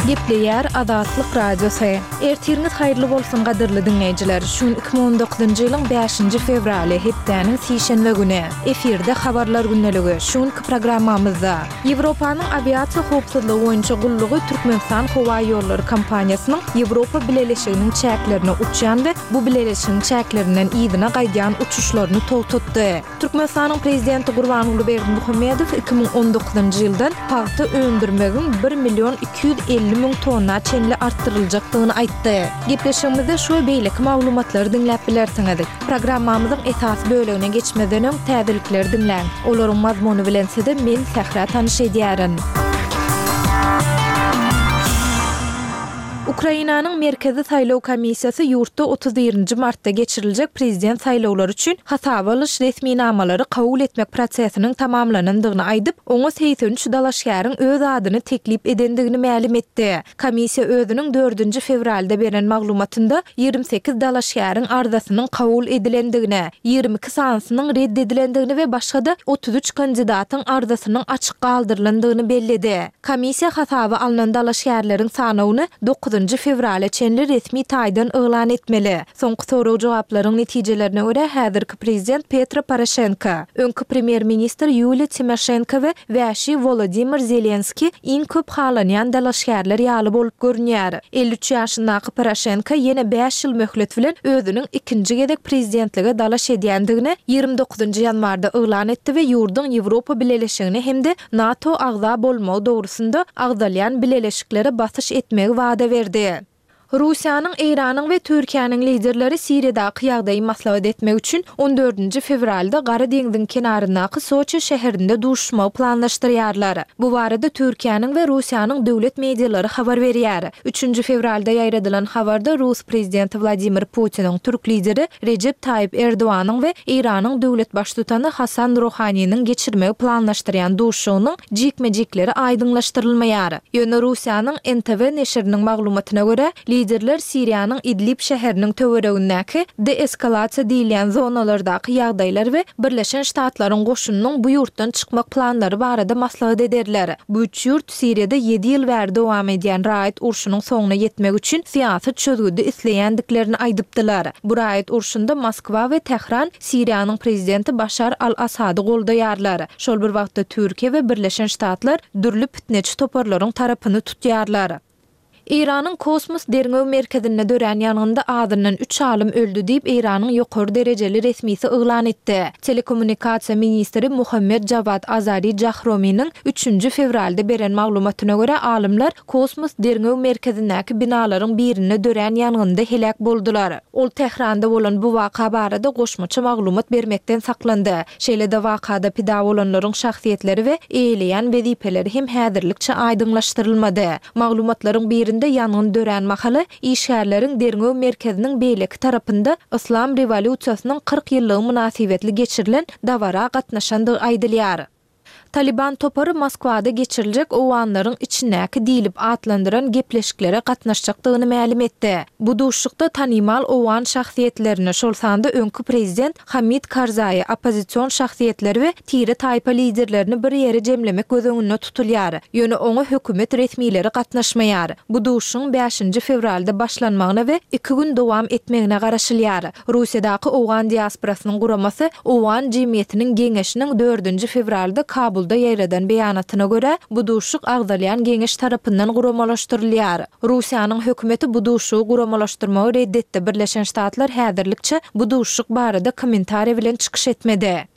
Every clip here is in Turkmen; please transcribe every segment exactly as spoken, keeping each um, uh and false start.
Gepleýär Azatlyk Radiosy. Ertiriňiz haýyrly bolsun gadyrly diňleýjiler. Şu gün iki müň on dokuzynjy ýylyň bäşinji fewraly, hepdäniň sişenbe güni. Efirde Habarlar gündeligi. Şu günki programmamyzda Ýewropanyň awiasiýa howpsuzlygy boýunça gullugy Türkmenistan howaýollary kompaniýasynyň Ýewropa Bileleşiginiň çäklerine uçýan we bu bileleşigiň çäklerinden yzyna gaýdýan uçuşlaryny togtatdy. Türkmenistanyň Prezidenti Gurbanguly Berdimuhamedow iki müň on dokuzynjy ýyldan pagta öndürmegiň bir million iki ýüz elli müň tonna çenli artdyryljakdygyny aýtdy. Gepleşigimizde şu we beýleki maglumatlary diňläp bilersiňiz. Programmamyzyň esasy bölegine geçmezden öň täzelikleri diňläň. Olaryň mazmuny bilen sizi men Sähra tanyş edýärin. Ukrainanyň Merkezi saýlaw komissiýasy ýurtda otuz birinji martda geçiriljek prezident saýlawlary üçin hasaba alyş resminamalary kabul etmek prosesiniň tamamlanandygyny aýdyp, oňa segsen üç dalaşgäriň öz adyny teklip edendigini mälim etdi. Komissiýa özüniň dördünji fewralda beren maglumatynda ýigrimi sekiz dalaşgäriň arzasynyň kabul edilendigini, ýigrimi iki sanysynyň red edilendigini we başga-da otuz üç kandidatyň arzasynyň açyk galdyrylandygyny belledi. Komissiýa hasaba alnan dalaşgärleriň sanawyny dokuzynjy fewrala çenli resmi taýdan yglan etmeli. Soňky sorag-jogaplaryň netijelerine görä, häzirki prezident Petro Poroşenko, öňki premýer-ministr Ýuliýa Timoşenko we wäşi Wolodymyr Zelenskiý iň köp halanýan dalaşgärler ýaly bolup görünýär. Elli üç ýaşyndaky Poroşenko ýene bäş ýyl möhlet bilen özüniň ikinji gezek prezidentlige dalaş edýändigini ýigrimi dokuzynjy ýanwarda yglan etdi we ýurduň Ýewropa Bileleşigine hem-de NATO agza bolmagy dogrusynda agzalýan bileleşiklere basyş etmegi wada berdi. Russiýanyň, Eýranyň we Türkiýäniň liderleri Siriýadaky ýagdaýy maslahat etmek üçin on dördünji fewralda Gara deňziň kenaryndaky Soçi şäherinde duşuşmagy planlaşdyrýarlar. Bu barada Türkiýäniň we Russiýanyň döwlet medialary habar berýär. Üçünji fewralda ýaýradylan habarda rus prezidenti Wladimir Putiniň, türk lideri Rejep Taýyp Erdoganyň we Eýranyň döwlet baştutany Hasan Ruhaniniň geçirmegi planlaşdyrýan duşuşygynyň jikme-jikleri aýdyňlaşdyrylmaýar. Ýöne Russiýanyň N T W neşiriniň maglumatyna görä, liderler Siriýanyň Idlib şäheriniň töweregindäki deeskalasiýa diýilýän zonalardaky ýagdaýlar we Birleşen Ştatlaryň goşunynyň bu ýurtdan çykmak planlary barada maslahat ederler. Bu üç ýurt Siriýada ýedi ýyl bäri dowam edýän raýat urşunyň soňuna ýetmek üçin syýasy çözgüdi isleýändiklerini aýdypdylar. Bu raýat urşunda Moskwa we Tähran Siriýanyň prezidenti Başar al-Assady goldaýarlar. Şol bir wagtda Türkiýe we Birleşen Ştatlar dürli pitneçi toparlaryň tarapyny tutýarlar. Eýranyň kosmos derňew merkezinde dörän ýangynda azyndan üç alym öldi diýip, Eýranyň ýokary derejeli resmisi yglan etdi. Telekommunikasiýa ministri Muhammed Jawad Azari Jahrominiň üçünji fewralda beren maglumatyna görä, alymlar kosmos derňew merkezindäki binalaryň birinde dörän ýangynda heläk boldular. Ol Tähranda bolan bu waka barada goşmaça maglumat bermekden saklandy. Şeýle-de wakada pida bolanlaryň şahsyýetleri we eýeleýän wezipeleri hem häzirlikçe aýdyňlaşdyrylmady. Maglumatlaryň birinde ýangyn dörän mahaly işgärleriň derňew merkeziniň beýleki tarapynda Yslam rewolýusiýasynyň kyrk ýyllygy mynasybetli geçirilen dabara gatnaşandygy aýdylýar. Taliban topary Moskwada geçiriljek owganlaryň içindäki diýlip atlandyran gepleşiklere gatnaşjakdygyny mälim etdi. Bu duşuşykda tanymal owgan şahsyýetlerini, şol sanda öňki prezident Hamid Karzaýy, oppozision şahsyýetleri we tire-taýpa liderlerini bir ýere jemlemek göz öňünde tutulýar. Ýöne oňa hökümet resmileri gatnaşmaýar. Bu duşuşygyň bäşinji fewralda başlanmagyna we iki gün dowam etmegine garaşylýar. Russiýadaky owgan diasporasynyň guramasy Owgan jemgyýetiniň geňeşiniň dördünji fewralda Kabulda ýaýradan beýanatyna görä, bu duşuşyk agzalýan geňeş tarapyndan guramalaşdyrylýar. Russiýanyň hökümeti bu duşuşygy guramalaşdyrmagy red etdi, Birleşen Ştatlar häzirlikçe bu duşuşyk barada kommentariýa bilen çykyş etmedi.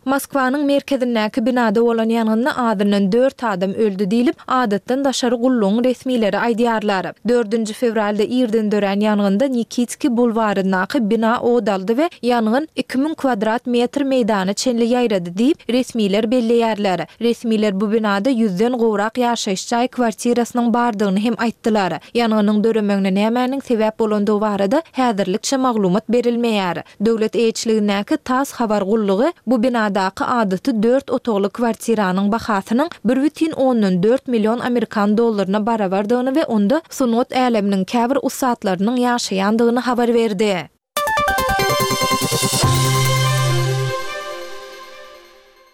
Moskwanyň merkezindäki binada bolan ýangynda azyndan dört adam öldi diýlip, adatdan daşary gullugyň resmileri aýdýarlar. Dördünji fewralda irden dörän ýangynda Nikitskiý bulwaryndaky bina ot aldy we ýangyn iki müň kwadrat metr meýdana çenli ýaýrady diýip, resmiler belleýärler. Resmiler bu binada ýüzden gowrak ýaşaýyş jaý kwartirasynyň bardygyny hem aýtdylar. Ýangynyň döremegine nämäniň sebäp bolandygy barada häzirlikçe maglumat berilmeýär. Döwlet eýeçiligindäki TASS habar gullugy bu binadaky adaty dört otagly kwartiranyň bahasynyň bir bütin ondan dört million amerikan dollaryna barabardygyny we onda sungat äleminiň käbir ussatlarynyň ýaşaýandygyny habar berdi.